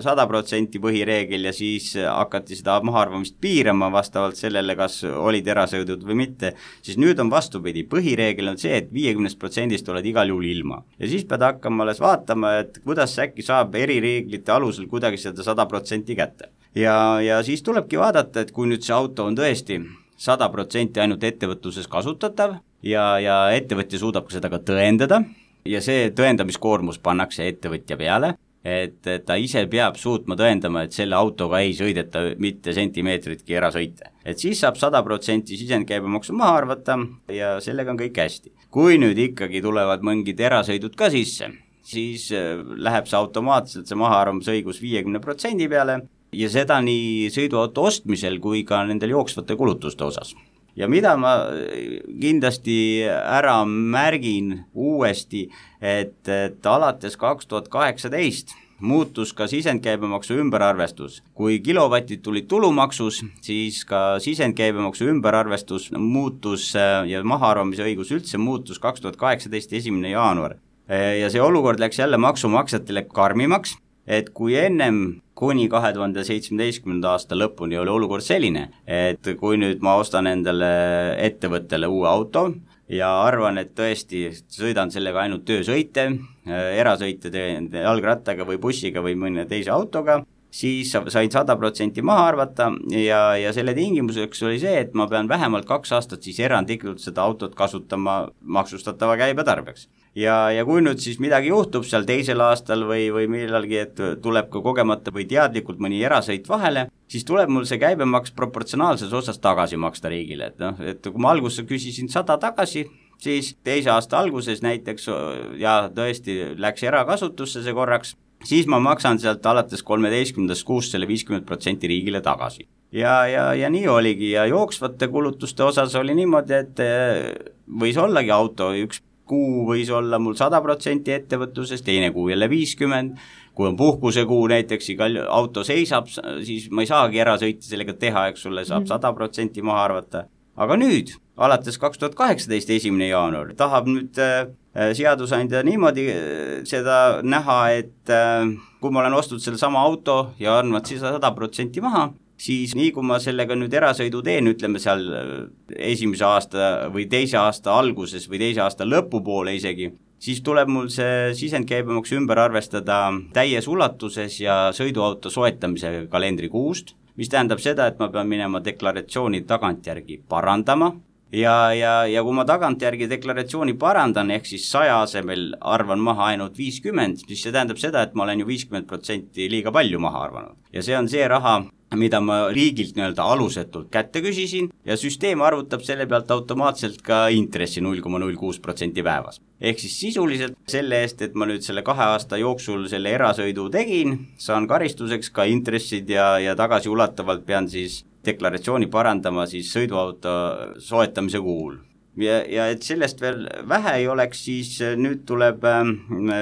sada protsenti põhireegel ja siis hakati seda mahaarvamist piirama vastavalt sellele, kas olid erasõidud või mitte, siis nüüd on vastupidi, põhireegel on see, et viiekümnest protsendist oled igal juhul ilma. Ja siis pead hakkama alles vaatama, et kuidas äkki saab erireeglite alusel kuidagi seda sada protsenti kätte. Ja, ja siis tulebki vaadata, et kui nüüd see auto on tõesti sada protsenti ainult ettevõtluses kasutatav ja, ja ettevõtja suudab seda ka tõendada, ja see tõendamiskoormus pannakse ettevõtja peale, et ta ise peab suutma tõendama, et selle autoga ei sõideta mitte sentimeetritki erasõite. Et siis saab sada protsenti sisendkäibemaksu maha arvata ja sellega on kõik hästi. Kui nüüd ikkagi tulevad mingid erasõidud ka sisse, siis läheb see automaatselt see mahaarvamisõigus viiekümne protsendi peale ja seda nii sõiduauto ostmisel kui ka nendel jooksvate kulutuste osas. Ja mida ma kindlasti ära märgin uuesti, et, et alates kaks tuhat kaheksateist muutus ka sisendkäibemaksu ümberarvestus. Kui kilovatid tulid tulumaksus, siis ka sisendkäibemaksu ümberarvestus muutus ja mahaarvamise õigus üldse muutus kaks tuhat kaheksateist esimene jaanuar. Ja see olukord läks jälle maksumaksjatele karmimaks, et kui ennem kuni kahe tuhande seitsmeteistkümnenda aasta lõpuni oli olukord selline, et kui nüüd ma ostan endale ettevõttele uue auto ja arvan, et tõesti sõidan sellega ainult töösõite, erasõite teen jalgrattaga või bussiga või mõne teise autoga, siis sain sada protsenti maha arvata ja, ja selle tingimuseks oli see, et ma pean vähemalt kaks aastat siis erandlikult seda autot kasutama maksustatava käibe tarbeks. Ja, ja kui nüüd siis midagi juhtub seal teisel aastal või, või millalgi, et tuleb ka kogemata või teadlikult mõni erasõit vahele, siis tuleb mul see käibemaks proportsionaalses osas tagasi maksta riigile. Et, noh, et kui ma alguses küsisin sada tagasi, siis teise aasta alguses näiteks ja tõesti läks erakasutusse see korraks, siis ma maksan sealt alates kolmeteistkümnendast kuust selle viiskümmend protsenti riigile tagasi. Ja, ja, ja nii oligi ja jooksvate kulutuste osas oli niimoodi, et võis ollagi auto üks kuu võis olla mul sada protsenti ettevõtluses, teine kuu jälle viiskümmend, kui on puhkusekuu näiteks, igal auto seisab, siis ma ei saagi erasõiti sellega teha, eks sulle saab sada protsenti maha arvata. Aga nüüd, alates kaks tuhat kaheksateist esimene jaanuar, tahab nüüd äh, seadusandja niimoodi seda näha, et äh, kui ma olen ostnud selle sama auto ja arvad siis sada protsenti maha, siis nii kui ma sellega nüüd erasõidu teen, ütleme seal esimese aasta või teise aasta alguses või teise aasta lõpupoole isegi, siis tuleb mul see sisendkäibemaks ümber arvestada täies ulatuses ja sõiduauto soetamise kalendrikuust, mis tähendab seda, et ma pean minema deklaratsiooni tagantjärgi parandama ja, ja, ja kui ma tagantjärgi deklaratsiooni parandan, ehk siis saja asemel arvan maha ainult viiskümmend, siis see tähendab seda, et ma olen ju viiskümmend protsenti liiga palju maha arvanud. Ja see on see raha, mida ma riigilt nii-öelda alusetult kätte küsisin ja süsteem arvutab selle pealt automaatselt ka intressi null koma null kuus protsenti päevas. Ehk siis sisuliselt selle eest, et ma nüüd selle kahe aasta jooksul selle erasõidu tegin, saan karistuseks ka intressid ja, ja tagasiulatavalt pean siis deklaratsiooni parandama siis sõiduauto soetamise kuul. Ja, ja et sellest veel vähe ei oleks, siis nüüd tuleb äh,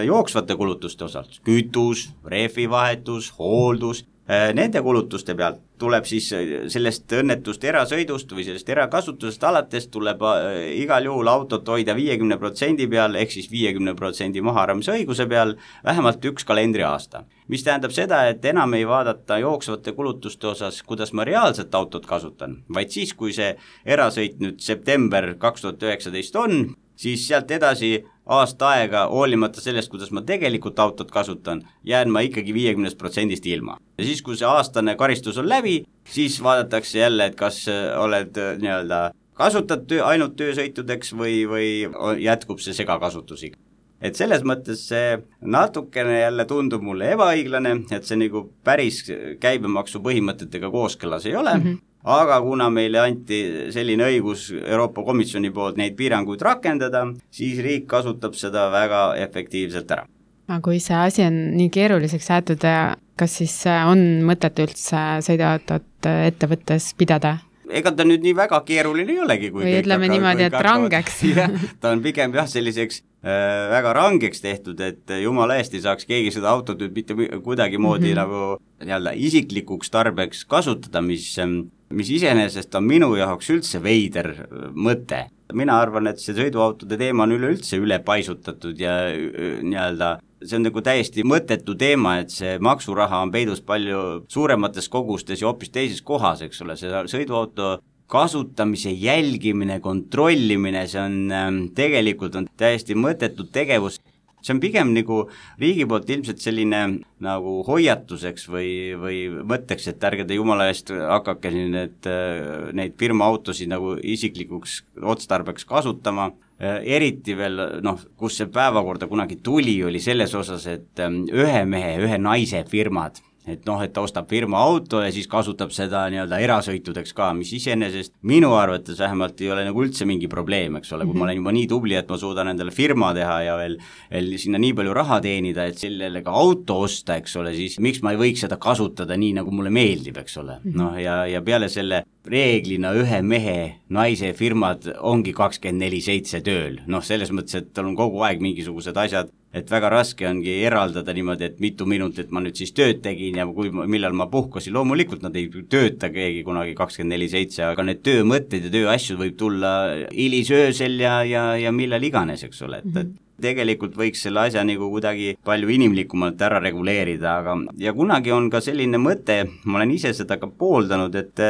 jooksvate kulutuste osalt, kütus, rehvivahetus, hooldus, nende kulutuste pealt tuleb siis sellest õnnetust erasõidust või sellest erakasutusest alates tuleb igal juhul autot hoida viiekümne protsendi peal, ehk siis viiekümne protsendi mahaarvamise õiguse peal vähemalt üks kalendriaasta. Mis tähendab seda, et enam ei vaadata jooksvate kulutuste osas, kuidas ma reaalselt autot kasutan, vaid siis, kui see erasõit nüüd september kaks tuhat üheksateist on, siis sealt edasi aasta aega, hoolimata sellest, kuidas ma tegelikult autot kasutan, jään ma ikkagi viiekümne protsendist ilma. Ja siis, kui see aastane karistus on läbi, siis vaadatakse jälle, et kas oled nii-öelda kasutad töö, ainult töösõitudeks või, või jätkub see segakasutusega. Et selles mõttes see natukene jälle tundub mulle ebaõiglane, et see nagu päris käibemaksu põhimõtetega kooskõlas ei ole, mm-hmm. Aga kuna meile anti selline õigus Euroopa Komisjoni poolt neid piiranguid rakendada, siis riik kasutab seda väga efektiivselt ära. Aga kui see asi on nii keeruliseks jäetud, kas siis on mõtet üldse sõiduautot ettevõttes pidada? Ega ta nüüd nii väga keeruline ei olegi. Kui või ütleme niimoodi, et rangeks. Ta on pigem jah selliseks äh, väga rangeks tehtud, et jumala eest ei saaks keegi seda autot nüüd mitte kuidagi moodi mm-hmm. nagu jälle isiklikuks tarbeks kasutada, mis, mis iseenesest on minu jaoks üldse veider mõte. mina arvan, et see sõiduautode teema on üleüldse üle paisutatud ja nii-öelda see on nagu täiesti mõttetu teema, et see maksuraha on peidus palju suuremates kogustes ja hoopis teises kohas, eks ole, see sõiduauto kasutamise jälgimine, kontrollimine, see on tegelikult on täiesti mõttetud tegevus. See on pigem nagu riigi poolt ilmselt selline nagu hoiatuseks või, või mõtteks, et ärge te jumala eest hakake need, neid firmaautosid nagu isiklikuks otstarbeks kasutama. Eriti veel, noh, kus see päevakorda kunagi tuli, oli selles osas, et ühe mehe, ühe naise firmad, et noh, et ta ostab firma auto ja siis kasutab seda nii-öelda erasõitudeks ka, mis iseenesest minu arvates vähemalt ei ole nagu üldse mingi probleem, eks ole, kui ma olen juba nii tubli, et ma suudan endale firma teha ja veel, veel sinna nii palju raha teenida, et sellele ka auto osta, eks ole, siis miks ma ei võiks seda kasutada nii, nagu mulle meeldib, eks ole. Noh, ja, ja peale selle reeglina ühe mehe naise firmad ongi kakskümmend neli seitse tööl, noh, selles mõttes, et tal on kogu aeg mingisugused asjad, et väga raske ongi eraldada niimoodi, et mitu minutit ma nüüd siis tööd tegin ja kui, millal ma puhkasin, loomulikult nad ei tööta keegi kunagi kakskümmend neli seitse, aga need töömõtted ja tööasjad võib tulla hilisöösel ja, ja, ja millal iganes, eks ole, et, et tegelikult võiks selle asja nagu kuidagi palju inimlikumalt ära reguleerida, aga ja kunagi on ka selline mõte, ma olen ise seda ka pooldanud, et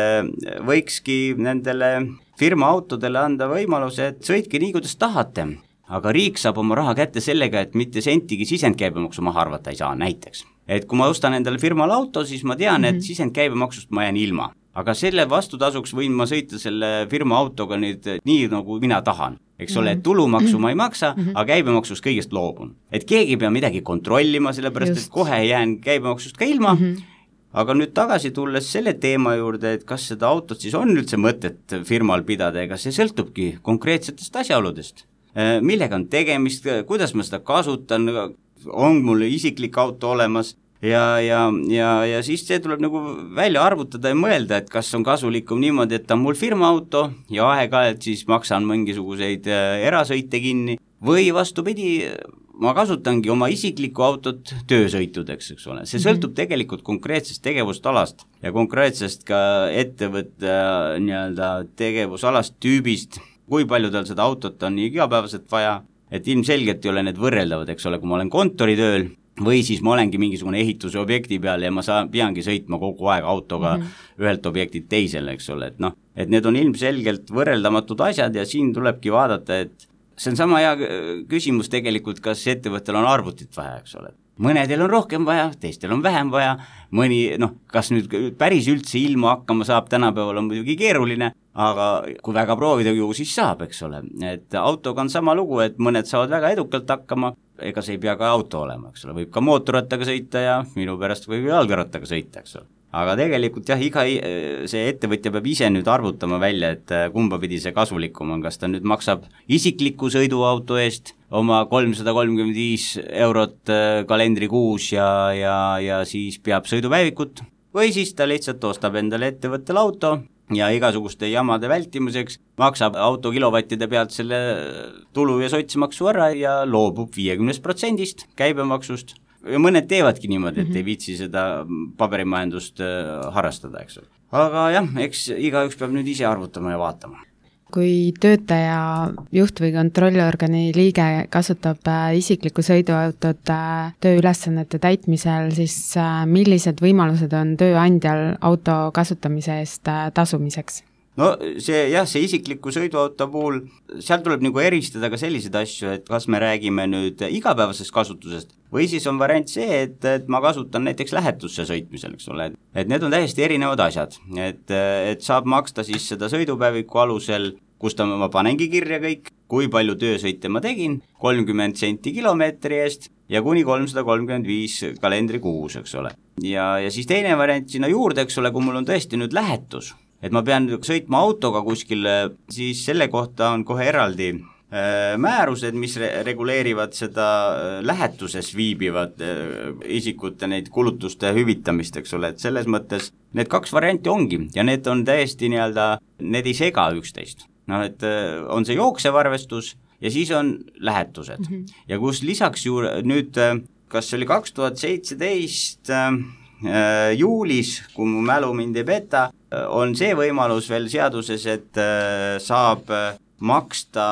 võikski nendele firmaautodele anda võimaluse, et sõitke nii, kuidas tahate. Aga riik saab oma raha kätte sellega, et mitte sentigi sisendkäibemaksu maha arvata ei saa näiteks. Et kui ma ostan endale firmal auto, siis ma tean, mm-hmm. et sisendkäibemaksust ma jään ilma. Aga selle vastutasuks võin ma sõita selle firma autoga nüüd nii, nagu mina tahan. Eks ole, et tulumaksu ma ei maksa, mm-hmm. aga käibemaksust kõigest loobun. Et keegi ei pea midagi kontrollima, sellepärast Just. Et kohe jään käibemaksust ka ilma. Mm-hmm. Aga nüüd tagasi tulles selle teema juurde, et kas seda autot siis on üldse mõtet firmal pidada, ega see sõltubki konkreetsetest asjaoludest. Millega on tegemist, kuidas ma seda kasutan, on mul isiklik auto olemas ja, ja, ja, ja siis see tuleb nagu välja arvutada ja mõelda, et kas on kasulikum niimoodi, et on mul firma auto ja aeg-ajalt siis maksan mingisuguseid erasõite kinni või vastupidi, ma kasutangi oma isiklikku autot töösõitudeks, eks ole. See sõltub mm-hmm. tegelikult konkreetsest tegevustalast ja konkreetsest ka ettevõtte nii-öelda tegevusalast tüübist, kui palju tal seda autot on nii igapäevaselt vaja, et ilmselgelt ei ole need võrreldavad, eks ole, kui ma olen kontoritööl või siis ma olengi mingisugune ehituse objekti peal ja ma saan, peangi sõitma kogu aeg autoga mm-hmm. ühelt objektilt teisele, eks ole, et noh, et need on ilmselgelt võrreldamatud asjad ja siin tulebki vaadata, et see on sama hea küsimus tegelikult, kas ettevõttel on arvutit vaja, eks ole. Mõnedel on rohkem vaja, teistel on vähem vaja, mõni, noh, kas nüüd päris üldse ilma hakkama saab, tänapäeval on muidugi keeruline, aga kui väga proovida ju, siis saab, eks ole. Et autoga on sama lugu, et mõned saavad väga edukalt hakkama, ega see ei pea ka auto olema, eks ole, võib ka mootorrattaga sõita ja minu pärast võib jalgrattaga sõita, eks ole. Aga tegelikult jah, iga see ettevõtja peab ise nüüd arvutama välja, et kumba pidi see kasulikum on, kas ta nüüd maksab isikliku sõiduauto eest oma kolmsada kolmkümmend viis eurot kalendrikuus ja, ja, ja siis peab sõidupäevikut või siis ta lihtsalt ostab endale ettevõttel auto ja igasuguste jamade vältimuseks maksab auto kilovattide pealt selle tulu- ja sotsimaksu ära ja loobub viiekümnest protsendist käibemaksust. Ja mõned teevadki niimoodi, et ei viitsi seda paberimajandust harrastada, eks ole. Aga jah, eks igaüks peab nüüd ise arvutama ja vaatama. Kui töötaja, juht või kontrolliorgani liige kasutab isiklikku sõiduautot tööülesannete täitmisel, siis millised võimalused on tööandjal auto kasutamise eest tasumiseks? No see jah, see isikliku sõiduauto puhul, seal tuleb nagu eristada ka selliseid asju, et kas me räägime nüüd igapäevasest kasutusest või siis on variant see, et, et ma kasutan näiteks lähetusse sõitmisel, eks ole, et need on täiesti erinevad asjad, et, et saab maksta siis seda sõidupäeviku alusel, kus ta ma panengi kirja kõik, kui palju töösõite ma tegin, kolmkümmend senti kilomeetri eest ja kuni kolmsada kolmkümmend viis kalendrikuus, eks ole. Ja, ja siis teine variant sinna juurde, eks ole, kui mul on tõesti nüüd lähetus, et ma pean sõitma autoga kuskil, siis selle kohta on kohe eraldi äh, määrused, mis re- reguleerivad seda äh, lähetuses viibivad äh, isikute neid kulutuste hüvitamist, eks ole, et selles mõttes need kaks varianti ongi ja need on täiesti nii-öelda, need ei sega üksteist. Noh, et äh, on see jooksev arvestus ja siis on lähetused mm-hmm. ja kus lisaks ju nüüd, äh, kas see oli kaks tuhat seitseteist äh, juulis, kui mu mälu mind ei peta, on see võimalus veel seaduses, et saab maksta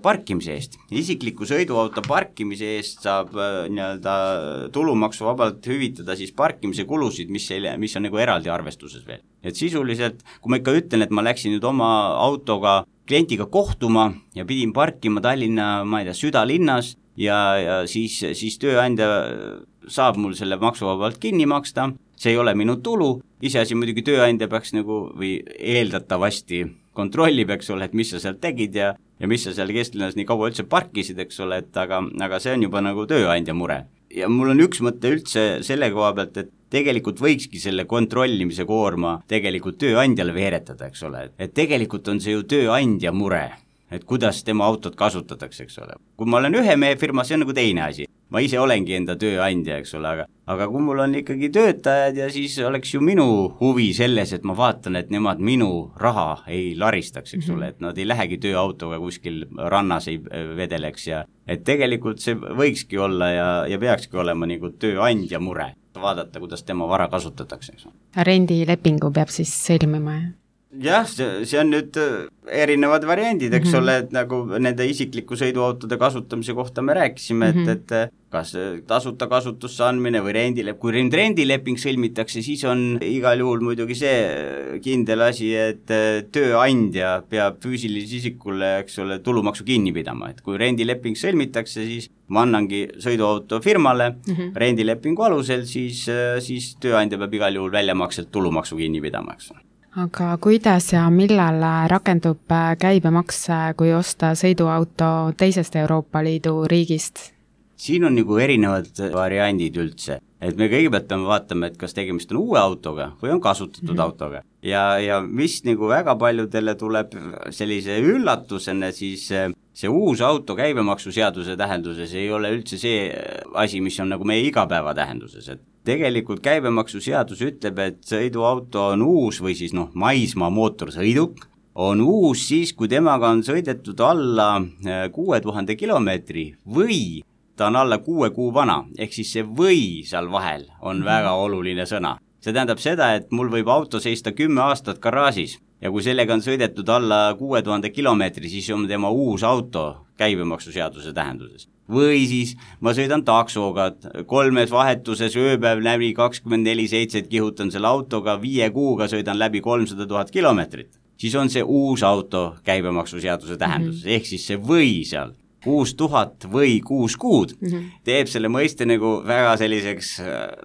parkimise eest. Isikliku sõiduauto parkimise eest saab nii-öelda tulumaksuvabalt hüvitada siis parkimise kulusid, mis, ei, mis on nagu eraldi arvestuses veel. Et sisuliselt, kui ma ikka ütlen, et ma läksin nüüd oma autoga klientiga kohtuma ja pidin parkima Tallinna, ma ei tea, südalinnas ja, ja siis, siis tööandja saab mul selle maksuvabalt kinni maksta, see ei ole minu tulu, iseasi muidugi tööandja peaks nagu või eeldatavasti kontrollib, eks ole, et mis sa seal tegid ja, ja mis sa seal kesklinnas nii kaua üldse parkisid, eks ole, et aga, aga see on juba nagu tööandja mure. Ja mul on üks mõte üldse selle koha pealt, et tegelikult võikski selle kontrollimise koorma tegelikult tööandjale veeretada, eks ole, et tegelikult on see ju tööandja mure, et kuidas tema autot kasutatakse, eks ole. Kui ma olen ühe mehe firma, see on nagu teine asi. Ma ise olengi enda tööandja, eks ole, aga, aga kui mul on ikkagi töötajad ja siis oleks ju minu huvi selles, et ma vaatan, et nemad minu raha ei laristaks, eks ole, et nad ei lähegi tööautoga kuskil rannas ei vedeleks ja et tegelikult see võikski olla ja, ja peakski olema nagu tööandja mure, vaadata, kuidas tema vara kasutatakse, eks ole. Rendilepingu peab siis sõlmima, jah? Jah, see, see on nüüd erinevad variandid, eks mm-hmm. ole, et nagu nende isikliku sõiduautode kasutamise kohta me rääkisime, mm-hmm. et, et kas tasuta kasutusse andmine või rendilep-, kui rendileping sõlmitakse, siis on igal juhul muidugi see kindel asi, et tööandja peab füüsilise isikule, eks ole, tulumaksu kinni pidama, et kui rendileping sõlmitakse, siis ma annangi sõiduauto firmale mm-hmm. rendilepingu alusel, siis, siis tööandja peab igal juhul väljamakselt tulumaksu kinni pidama, eks ole. Aga kuidas ja millal rakendub käibemaks, kui osta sõiduauto teisest Euroopa Liidu riigist? Siin on nagu erinevad variandid üldse, et me kõigepealt peame vaatama, et kas tegemist on uue autoga või on kasutatud mm-hmm. autoga. Ja, ja mis nagu väga paljudele tuleb sellise üllatusena, siis see uus auto käibemaksuseaduse tähenduses ei ole üldse see asi, mis on nagu meie igapäeva tähenduses, et tegelikult käibemaksuseadus ütleb, et sõiduauto on uus või siis noh, maismaa mootorsõiduk on uus siis, kui temaga on sõidetud alla kuue tuhande kilomeetri või ta on alla kuue kuu vana, ehk siis see või seal vahel on väga oluline sõna. See tähendab seda, et mul võib auto seista kümme aastat garaažis ja kui sellega on sõidetud alla kuue tuhande kilomeetri, siis on tema uus auto käibemaksuseaduse tähenduses. Või siis ma sõidan taksoga, kolmes vahetuses ööpäev läbi kakskümmend neli seitse kihutan selle autoga, viie kuuga sõidan läbi kolmsada tuhat kilomeetrit. Siis on see uus auto käibemaksuseaduse tähenduses, mm-hmm. ehk siis see või seal, kuus tuhat või kuus kuud, mm-hmm. teeb selle mõiste nagu väga selliseks,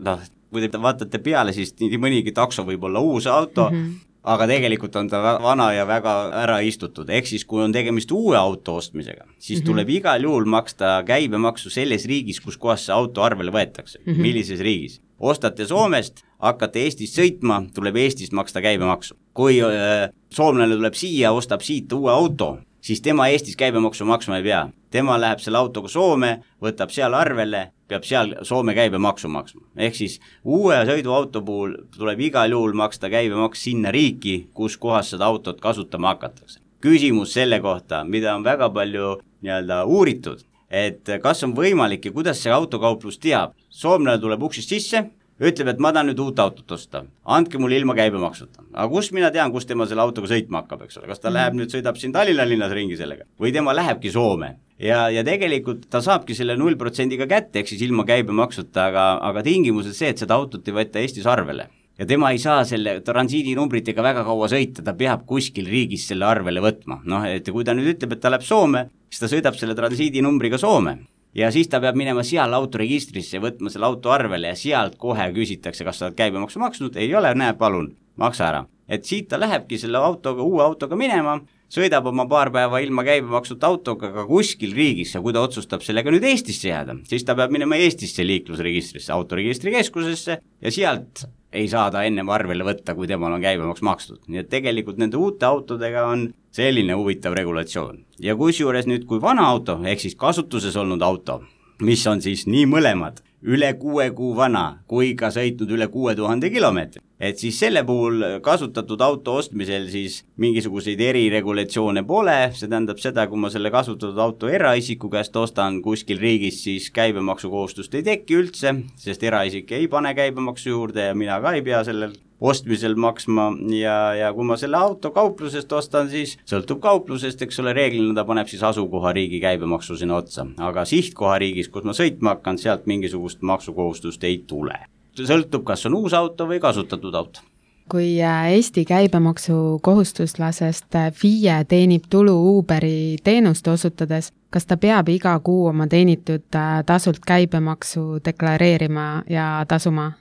noh, kui te vaatate peale, siis nii mõnigi takso võib olla uus auto, mm-hmm. aga tegelikult on ta vana ja väga ära istutud, ehk siis kui on tegemist uue auto ostmisega, siis mm-hmm. tuleb igal juhul maksta käibemaksu selles riigis, kus kohas see auto arvele võetakse, mm-hmm. millises riigis. Ostate Soomest, hakkate Eestist sõitma, tuleb Eestist maksta käibemaksu. Kui äh, soomlane tuleb siia, ostab siit uue auto, siis tema Eestis käibemaksu maksma ei pea. Tema läheb selle autoga Soome, võtab seal arvele, peab seal Soome käibemaksu maksma. Ehk siis uue sõiduauto puhul tuleb igal juhul maksta käibemaks sinna riiki, kus kohas seda autot kasutama hakatakse. Küsimus selle kohta, mida on väga palju nii-öelda uuritud, et kas on võimalik ja kuidas see autokauplus teab. Soomlane tuleb uksist sisse, ütleb, et ma tahan nüüd uut autot osta, andke mulle ilma käibemaksuta. Aga kus mina tean, kus tema selle autoga sõitma hakkab, eks ole? Kas ta mm. läheb nüüd, sõidab siin Tallinna linnas ringi sellega? Või tema lähebki Soome? Ja, ja tegelikult ta saabki selle null protsendiga kätte, eks siis ilma käibemaksuta, aga, aga tingimused see, et seda autot ei võtta Eestis arvele. Ja tema ei saa selle transiidinumbritega väga kaua sõita, ta peab kuskil riigis selle arvele võtma. Noh, et kui ta nüüd ütleb, et ta läheb Soome, siis ta sõidab selle transiidinumbriga Soome. Ja siis ta peab minema seal autoregistrisse, võtma selle auto arvele ja sealt kohe küsitakse, kas sa oled käibemaksu maksnud, ei ole, näe, palun, maksa ära. Et siit ta lähebki selle autoga, uue autoga minema, sõidab oma paar päeva ilma käibemaksut autoga ka kuskil riigis ja kui ta otsustab sellega nüüd Eestisse jääda, siis ta peab minema Eestisse liiklusregistrisse, autoregistrikeskusesse ja sealt ei saa ta ennem arvele võtta, kui temal on käibemaks makstud. Nii et tegelikult nende uute autodega on selline huvitav regulatsioon. Ja kusjuures nüüd, kui vana auto, ehk siis kasutuses olnud auto, mis on siis nii mõlemad, üle kuue kuu vana, kui ka sõitnud üle kuue tuhande kilomeetri. Et siis selle puhul kasutatud auto ostmisel siis mingisuguseid eriregulatsioone pole, see tähendab seda, kui ma selle kasutatud auto eraisiku käest ostan kuskil riigis, siis käibemaksukohustust ei teki üldse, sest eraisik ei pane käibemaksu juurde ja mina ka ei pea sellel ostmisel maksma ja, ja kui ma selle auto kauplusest ostan, siis sõltub kauplusest, eks ole, reeglina ta paneb siis asukohariigi käibemaksu sinna otsa, aga sihtkohariigis, kus ma sõitma hakkan, sealt mingisugust maksukohustust ei tule. Sõltub, kas on uus auto või kasutatud auto. Kui Eesti käibemaksu kohustuslasest F I E teenib tulu Uberi teenust osutades, kas ta peab iga kuu oma teenitud tasult käibemaksu deklareerima ja tasuma?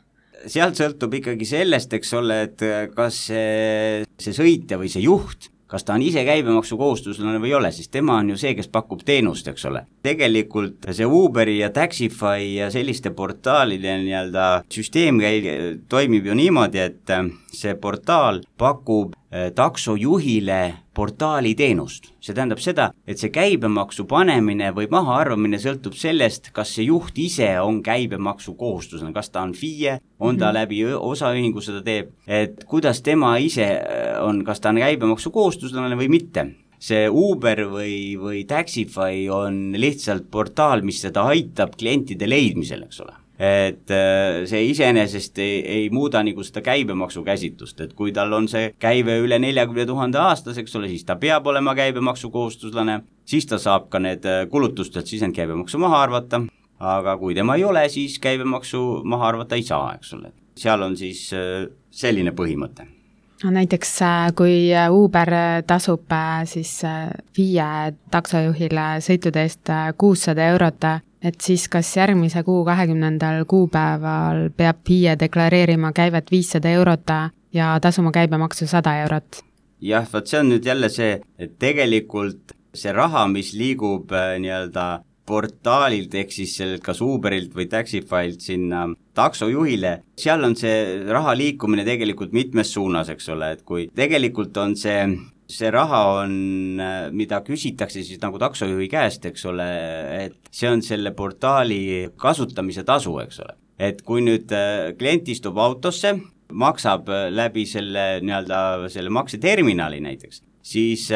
Sealt sõltub ikkagi sellest, eks ole, et kas see, see sõitja või see juht, kas ta on ise käibemaksu kohustuslane või ei ole, siis tema on ju see, kes pakub teenust, eks ole. Tegelikult see Uberi ja Taxify ja selliste portaalide nii-öelda süsteem toimib ju niimoodi, et see portaal pakub taksojuhile portaali teenust. See tähendab seda, et see käibemaksu panemine või mahaarvamine sõltub sellest, kas see juht ise on käibemaksu kohustuslane, kas ta on F I E, on ta läbi osaühingu seda teeb, et kuidas tema ise on, kas ta on käibemaksu kohustuslane või mitte. See Uber või, või Taxify on lihtsalt portaal, mis seda aitab klientide leidmisel, eks ole. Et see iseenesest ei, ei muuda nagu seda käibemaksu käsitlust, et kui tal on see käive üle neljakümne tuhande aastas, eks ole, siis ta peab olema käibemaksu kohustuslane, siis ta saab ka need kulutustelt sisend käibemaksu maha arvata, aga kui tema ei ole, siis käibemaksu maha arvata ei saa, eks ole. Seal on siis selline põhimõte. No, näiteks kui Uber tasub siis F I E taksojuhile sõitude eest kuussada eurot, et siis kas järgmise kuu kahekümnendal kuupäeval peab F I E deklareerima käivet viissada eurot ja tasuma käibemaksu sada eurot? Jah, vaat see on nüüd jälle see, et tegelikult see raha, mis liigub nii-öelda portaalilt, ehk siis sellelt kas Uberilt või Taxifylt sinna taksojuhile, seal on see raha liikumine tegelikult mitmes suunas, eks ole, et kui tegelikult on see see raha on, mida küsitakse siis nagu taksojuhi käest, eks ole, et see on selle portaali kasutamise tasu, eks ole. Et kui nüüd klient istub autosse, maksab läbi selle, nii-öelda, selle makseterminali näiteks, siis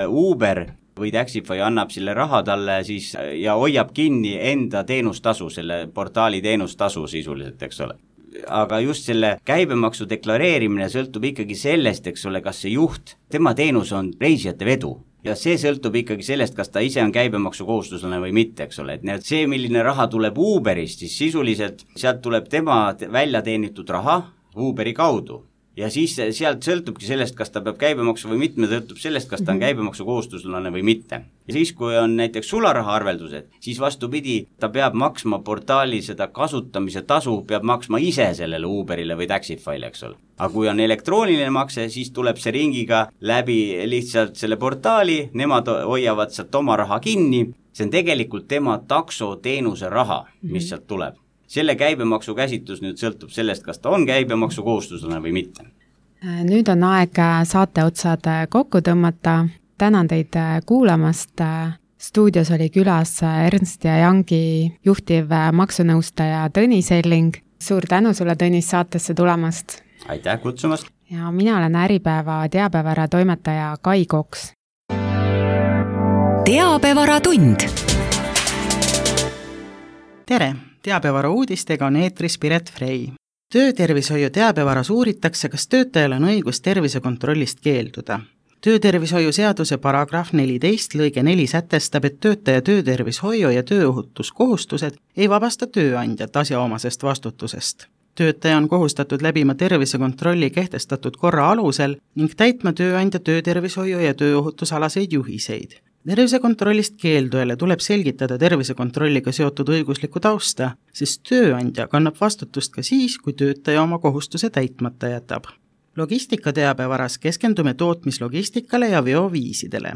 Uber või Taxify annab selle raha talle siis ja hoiab kinni enda teenustasu, selle portaali teenustasu sisuliselt, eks ole. Aga just selle käibemaksu deklareerimine sõltub ikkagi sellest, eks ole, kas see juht, tema teenus on reisijate vedu ja see sõltub ikkagi sellest, kas ta ise on käibemaksu kohustuslane või mitte, eks ole, et see, milline raha tuleb Uberist, siis sisuliselt sealt tuleb tema välja teenitud raha Uberi kaudu. Ja siis sealt sõltubki sellest, kas ta peab käibemaksu või mitte, sõltub sellest, kas ta on käibemaksu kohustuslane või mitte. Ja siis, kui on näiteks sularaha arveldused, siis vastupidi, ta peab maksma portaali seda kasutamise tasu, peab maksma ise sellele Uberile või Taxify'le, eks ole. Aga kui on elektrooniline makse, siis tuleb see ringiga läbi lihtsalt selle portaali, nemad hoiavad sealt oma raha kinni, see on tegelikult tema taksoteenuse raha, mis sealt tuleb. Selle käibemaksu käsitlus nüüd sõltub sellest, kas ta on käibemaksu kohustuslane või mitte. Nüüd on aeg saate otsad kokku tõmmata. Tänan teid kuulamast. Stuudios oli külas Ernst ja Youngi juhtiv maksunõustaja Tõnis Elling. Suur tänu sulle, Tõnis, saatesse tulemast. Aitäh kutsumast. Ja mina olen Äripäeva teabevara toimetaja Kai Koks. Teabevara tund. Tere! Teabevara uudistega on eetris Piret Frey. Töötervishoiu teabevaras uuritakse, kas töötajal on õigus tervisekontrollist keelduda. Töötervishoiu seaduse paragrahv neliteist lõige neli sätestab, et töötaja töötervishoiu ja tööohutuskohustused ei vabasta tööandjat asjaomasest vastutusest. Töötaja on kohustatud läbima tervisekontrolli kehtestatud korra alusel ning täitma tööandja töötervishoiu ja tööohutusalaseid juhiseid. Tervisekontrollist keeldujale tuleb selgitada tervisekontrolliga seotud õiguslikku tausta, sest tööandja kannab vastutust ka siis, kui töötaja oma kohustuse täitmata jätab. Logistika teabevaras keskendume tootmislogistikale ja veoviisidele.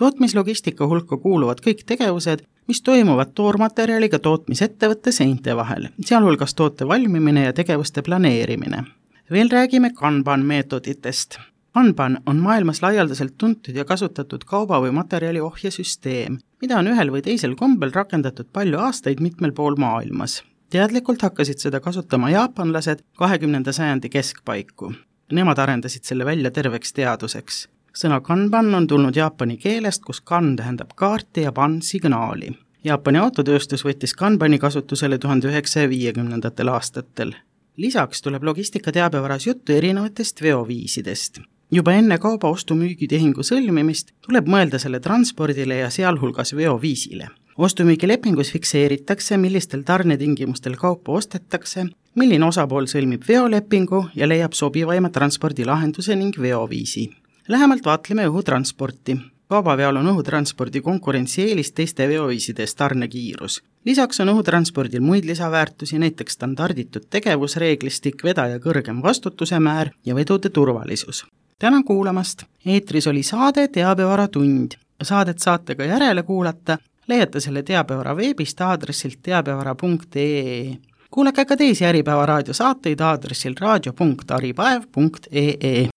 Tootmislogistika hulka kuuluvad kõik tegevused, mis toimuvad toormaterjaliga tootmisettevõtte seinte vahel, sealhulgas toote valmimine ja tegevuste planeerimine. Veel räägime Kanban meetoditest. Kanban on maailmas laialdaselt tuntud ja kasutatud kauba või materjali ohjesüsteem, mida on ühel või teisel kombel rakendatud palju aastaid mitmel pool maailmas. Teadlikult hakkasid seda kasutama jaapanlased kahekümnenda sajandi keskpaiku. Nemad arendasid selle välja terveks teaduseks. Sõna Kanban on tulnud jaapani keelest, kus kan tähendab kaarti ja ban signaali. Jaapani autotööstus võttis Kanbani kasutusele tuhande üheksasaja viiekümnendatel aastatel. lisaks tuleb logistika teabevaras juttu erinevatest veoviisidest. Juba enne kauba ostu-müügitehingu sõlmimist tuleb mõelda selle transpordile ja sealhulgas veoviisile. Ostu-müügilepingus fikseeritakse, millistel tarnetingimustel kaupa ostetakse, milline osapool sõlmib veolepingu ja leiab sobivaima transpordilahenduse ning veoviisi. Lähemalt vaatleme õhutransporti. Kaubaveol on õhutranspordi konkurentsieelis teiste veoviisides tarnekiirus. Lisaks on õhutranspordil muid lisaväärtusi, näiteks standarditud tegevusreeglistik, vedaja kõrgem vastutuse määr ja vedude turvalisus. Tänan kuulamast! Eetris oli saade Teabevara tund. Saadet saate ka järele kuulata. Leiate selle Teabevara veebist aadressilt teabevara punkt ee. Kuulake ka teisi Äripäeva raadiosaateid aadressil raadio punkt äripäev punkt ee.